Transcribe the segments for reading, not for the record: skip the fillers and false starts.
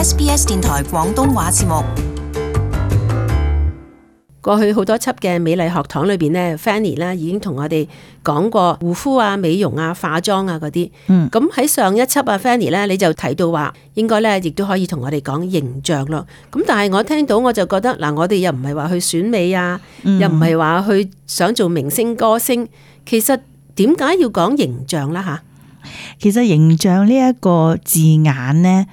SBS 電台廣東話節目。過去好多輯嘅美麗學堂裏邊呢 Fanny 咧已經同我哋講過護膚啊、美容啊、化妝啊嗰啲。咁喺上一輯啊 Fanny 咧，你就提到話應該咧亦都可以同我哋講形象咯。咁但係我聽到我就覺得嗱，我哋又唔係話去選美啊，又唔係話去想做明星歌星，其實點解要講形象啦吓？其實形象呢一個字眼呢，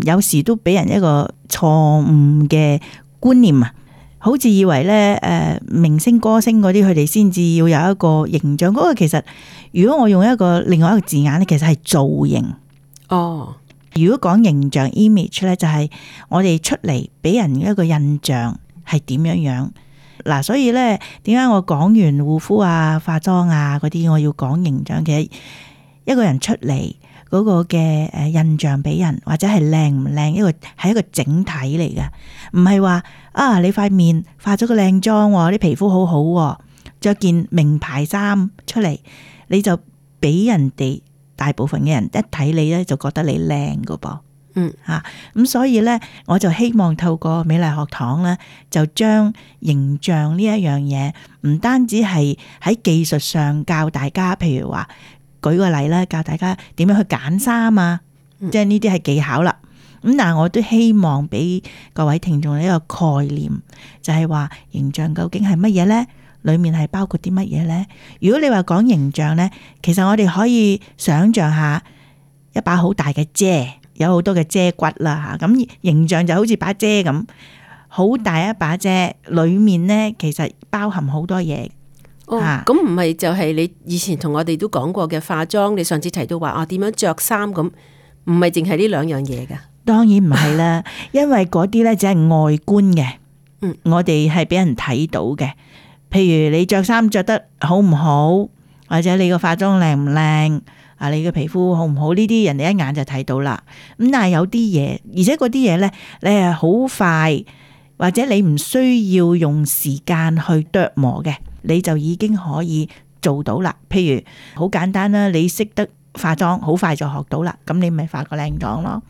有時都俾人一個錯誤嘅觀念啊。好似以為咧，明星歌星嗰啲佢哋先至要有一個形象，嗰個其實如果我用另外一個字眼咧，其實係造型。哦，如果講形象 image 咧，就係我哋出嚟俾人一個印象係點樣樣。嗱，所以咧，點解我講完護膚啊、化妝啊嗰啲，我要講形象？其實一個人出嚟嗰個嘅印象俾人，或者係靚唔靚，係一個整體嚟嘅，唔係話你塊面化咗個靚妝，啲皮膚好好，着件名牌衫出嚟，你就俾人哋大部分嘅人一睇你咧，就覺得你靚噶噃。咁所以咧，我就希望透過美麗學堂咧，就將形象呢一樣嘢，唔單止係喺技術上教大家，譬如話。舉個例啦，教大家點樣去揀衫啊，即係呢啲係技巧啦。咁但係我都希望俾各位聽眾一個概念，就係話形象究竟係乜嘢呢？裏面係包括啲乜嘢呢？如果你話講形象呢，其實我哋可以想象下一把好大嘅遮，有好多嘅遮骨啦吓。咁形象就好似把遮咁，好大一把遮，裏面呢其實包含好多嘢。咁唔係就係你以前同我哋都講過嘅化妝，你上次提到話點樣着衫咁，唔係淨係呢兩樣嘢噶？當然唔係啦，因為嗰啲咧只係外觀嘅，我哋係俾人睇到嘅。譬如你着衫着得好唔好，或者你個化妝靚唔靚，你個皮膚好唔好，呢啲人哋一眼就睇到啦。咁但係有啲嘢，而且嗰啲嘢咧，你係好快，或者你唔需要用時間去琢磨嘅。你就已經可以做到啦。譬如好簡單啦，你識得化妝，好快就學到啦。咁你咪化個靚妝咯。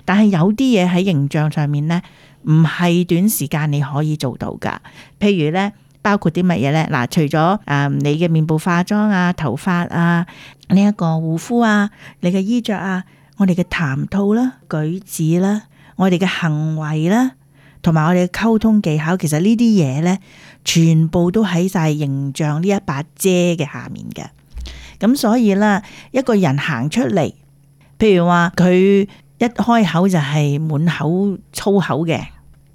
但係有啲嘢喺形象上面呢，唔係短時間你可以做到噶。譬如呢，包括啲乜嘢呢？嗱，除咗你嘅面部化妝啊、頭髮啊、呢一個護膚啊、你嘅衣着啊、我哋嘅談吐啦、舉止啦、我哋嘅行為啦，同埋我哋嘅溝通技巧，其實呢啲嘢呢，全部都喺晒形象呢一把遮嘅下面嘅。咁所以啦，一個人行出嚟，譬如話佢一開口就係滿口粗口嘅，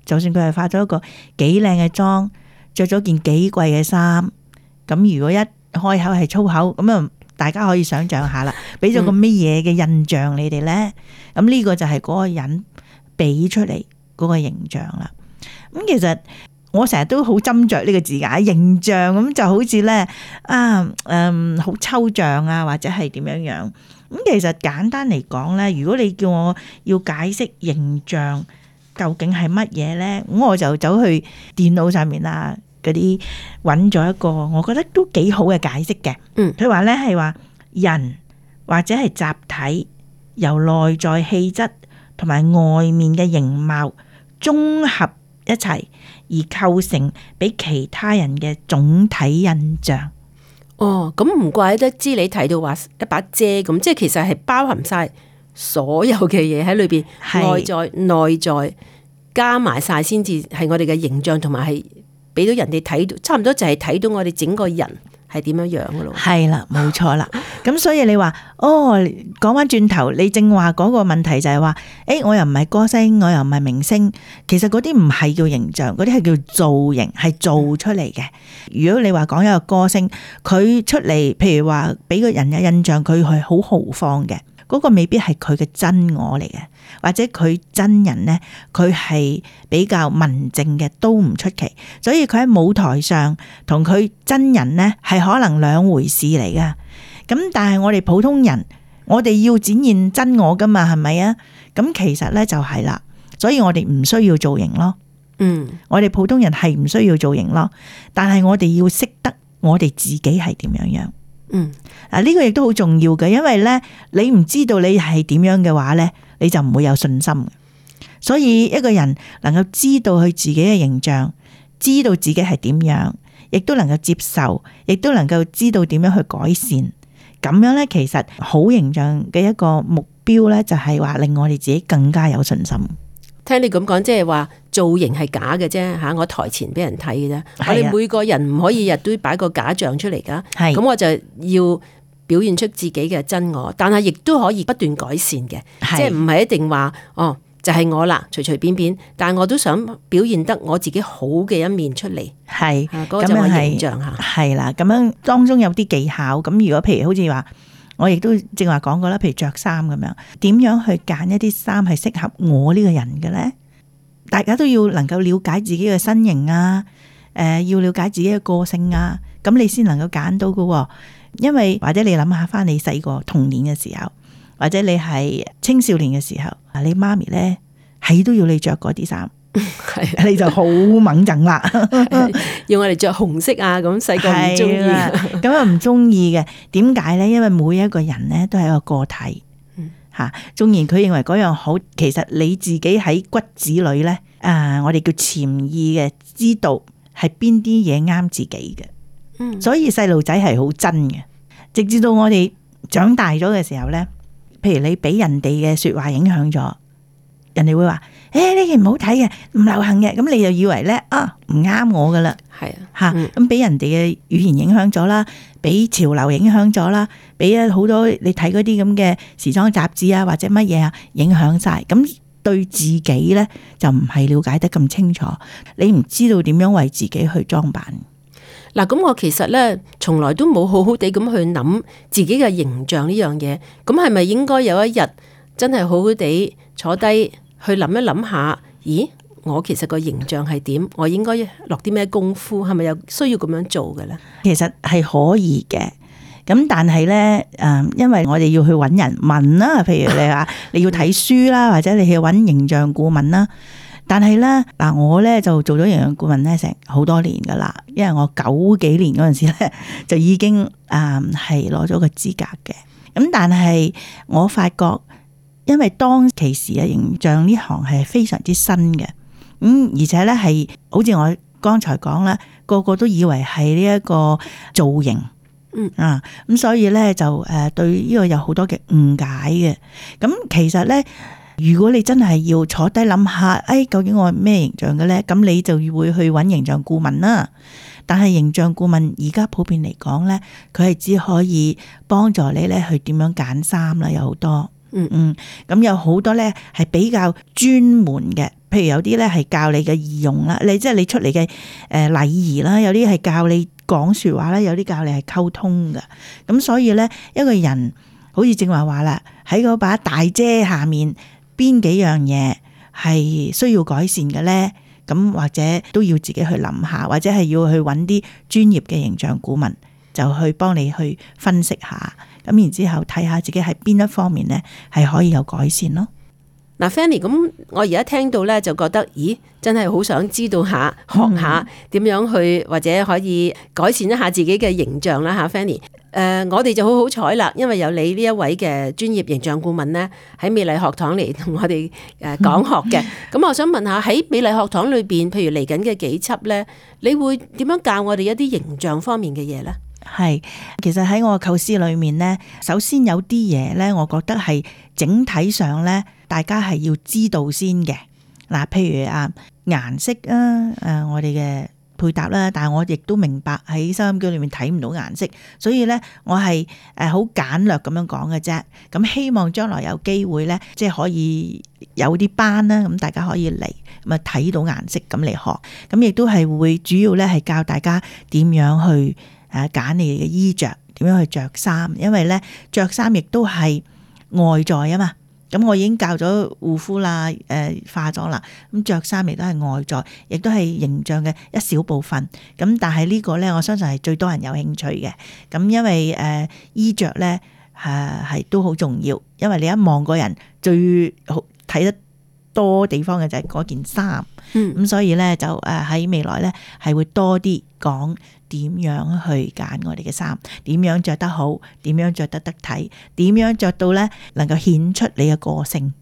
就算佢係化咗一個幾靚嘅妝，着咗件幾貴嘅衫，咁如果一開口係粗口，咁啊大家可以想象下啦，俾咗個乜嘢嘅印象你哋呢？咁呢個就係嗰個人俾出嚟嗰個形象啦。咁其實我成日都好斟酌呢個字眼，形象咁就好似咧好抽象啊，或者係點樣樣。咁其實簡單嚟講咧，如果你叫我要解釋形象究竟係乜嘢咧，咁我就走去電腦上面啊嗰啲揾咗一個我覺得都幾好嘅解釋嘅。佢話咧係話人或者係集體由內在氣質同埋外面嘅形貌綜合一齊而構成俾其他人嘅總體印象。咁唔怪得知你提到話一把遮咁，即係其實係包含晒所有嘅嘢喺裏邊，外在內在加埋晒先至係我哋嘅形象，同埋係俾到人哋睇到，差唔多就係睇到我哋整個人係點樣樣噶咯。係啦，冇錯啦。咁所以你話講翻轉頭，你正話嗰個問題就係話，我又唔係歌星，我又唔係明星，其實嗰啲唔係叫形象，嗰啲係叫造型，係做出嚟嘅。如果你話講一個歌星，佢出嚟，譬如話俾個人嘅印象，佢係好豪放嘅，嗰個未必係佢嘅真我嚟嘅，或者佢真人呢，佢係比較文靜嘅都唔出奇。所以佢喺舞台上同佢真人呢，係可能兩回事嚟噶。咁但係我哋普通人，我哋要展現真我噶嘛，係咪啊？咁其實呢就係啦，所以我哋唔需要造型咯。我哋普通人係唔需要造型咯，但係我哋要識得我哋自己係點樣樣。呢個亦都好重要嘅，因為呢，你唔知道你係點樣嘅話呢，你就唔會有信心。所以一個人能夠知道佢自己嘅形象，知道自己係點樣，亦都能夠接受，亦都能夠知道點樣去改善。咁樣咧，其實好形象嘅一個目標咧，就係話令我哋自己更加有信心。聽你咁講，即係話造型係假嘅啫吓，我台前俾人睇嘅啫。我哋每個人唔可以日都擺個假象出嚟噶。咁我就要表現出自己嘅真我，但係亦都可以不斷改善嘅，即係唔係一定話哦就係我啦，隨隨便便，但係我都想表現得我自己好嘅一面出嚟。係嗰個就係形象吓。係啦，咁樣當中有啲技巧。咁如果譬如好似話，我亦都正話講過啦，譬如着衫咁樣，點樣去揀一啲衫係適合我呢個人嘅咧？大家都要能夠了解自己嘅身形啊，要了解自己嘅個性啊，咁你先能夠揀到㗎。因為或者你諗下翻你細個童年嘅時候，或者你係青少年嘅時候，你媽咪咧係都要你着嗰啲衫，你就好猛憎啦，要我哋着紅色啊，咁細個唔中意，咁啊唔中意嘅。點解咧？因為每一個人咧都係一個個體，吓，縱然佢認為嗰樣好，其實你自己喺骨子裏咧，我哋叫潛意嘅，知道係邊啲嘢啱自己嘅。所以細路仔係好真嘅，直至到我哋長大咗嘅時候咧，譬如你俾人哋嘅說話影響咗，人哋會話呢件唔好睇嘅，唔流行嘅，咁你就以為咧唔啱我噶啦，係吓，咁俾人哋嘅語言影響咗啦，俾潮流影響咗啦，俾好多你睇嗰啲咁嘅時裝雜誌啊或者乜嘢啊影響晒，咁對自己咧就唔係了解得咁清楚，你唔知道點樣為自己去裝扮。嗱，咁我其實咧，從來都冇好好地咁去諗自己嘅形象呢樣嘢。咁係咪應該有一日真係好好地坐低去諗一諗下？咦，我其實個形象係點？我應該落啲咩功夫？係咪有需要咁樣做嘅咧？其實係可以嘅。咁但係咧，因為我哋要去揾人問啦，譬如你話你要睇書啦，或者你去揾形象顧問啦。但係咧，嗱我咧就做咗形象顧問咧成好多年噶啦，因為我90幾年嗰陣時咧就已經係攞咗個資格嘅。咁但係我發覺，因為當其時嘅形象呢行係非常之新嘅，而且咧係好似我剛才講啦，個個都以為係呢一個造型，咁所以咧就對呢個有好多嘅誤解嘅。咁其實咧，如果你真係要坐低諗下，究竟我係咩形象嘅咧？咁你就會去揾形象顧問啦。但係形象顧問而家普遍嚟講咧，佢係只可以幫助你咧去點樣揀衫啦，有好多，咁有好多咧係比較專門嘅，譬如有啲咧係教你嘅儀容啦，即係你出嚟嘅禮儀啦，有啲係教你講說話啦，有啲教你係溝通嘅。咁所以咧，一個人好似正話啦，喺嗰把大遮下面，邊幾樣嘢係需要改善嘅咧？咁或者都要自己去諗下，或者係要去揾啲專業嘅形象顧問，就去幫你去分析下，咁然之後睇下自己喺邊一方面咧係可以有改善咯。嗱 Fanny， 咁我而家聽到咧就覺得，咦，真係好想知道下，學下點樣去或者可以改善一下自己嘅形象啦吓 Fanny。我哋就好好彩啦，因為有你呢一位嘅專業形象顧問咧，喺美麗學堂嚟同我哋講學嘅。咁我想問下喺美麗學堂裏邊，譬如嚟緊嘅幾輯咧，你會點樣教我哋一啲形象方面嘅嘢咧？係，其實喺我構思裏面咧，首先有啲嘢咧，我覺得係整體上咧，大家係要知道先嘅。嗱，譬如顏色啊，我哋嘅配搭啦，但係我亦都明白喺收音機裏面睇唔到顏色，所以咧我係好簡略咁樣講嘅啫。咁希望將來有機會咧，即係可以有啲班啦，咁大家可以嚟咁啊睇到顏色咁嚟學。咁亦都係會主要咧係教大家點樣去揀你哋嘅衣着，點樣去着衫，因為咧着衫亦都係外在啊嘛。咁我已經教咗護膚啦，化妝啦，咁着衫亦都係外在，亦都係形象嘅一小部分。咁但係呢個咧，我相信係最多人有興趣嘅。咁因為衣着咧係都好重要，因為你一望個人最好睇得多地方嘅就係嗰件衫。咁所以咧就喺未來咧係會多啲講點樣去揀我哋嘅衫，點樣着得好，點樣着得得體，點樣着到咧能夠顯出你嘅個性。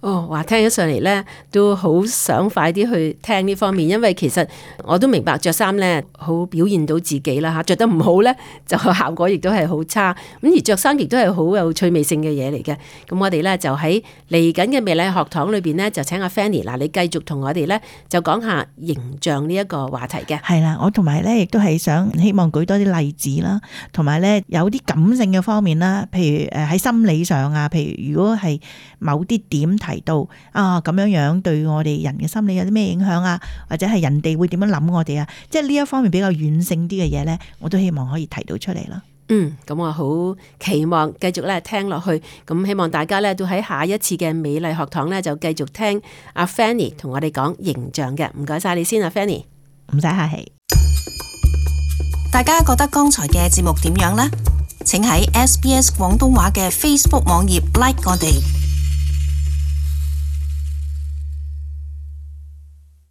話聽起上嚟咧，都好想快啲去聽呢方面，因為其實我都明白着衫咧好表現到自己啦嚇，着得唔好咧就效果亦都係好差。咁而着衫亦都係好有趣味性嘅嘢嚟嘅。咁我哋咧就喺嚟緊嘅美麗學堂裏邊咧，就請阿 Fanny 嗱，你繼續同我哋咧就講下形象呢一個話題嘅。係啦，我同埋咧亦都係想希望舉多啲例子啦，同埋咧有啲感性嘅方面啦，譬如喺心理上啊，譬如如果係某啲點提到咁樣樣對我哋人嘅心理有啲咩影響啊，或者係人哋會點樣諗我哋啊，即係呢一方面比較軟性啲嘅嘢咧，我都希望可以提到出嚟啦。咁我好期望繼續咧聽落去，咁希望大家咧都喺下一次嘅美麗學堂咧就繼續聽阿 Fanny 同我哋講形象嘅。唔該晒你先啊 Fanny， 唔使客氣。大家覺得剛才嘅節目點樣呢？請喺 SBS 廣東話嘅 Facebook 網頁 like 我哋。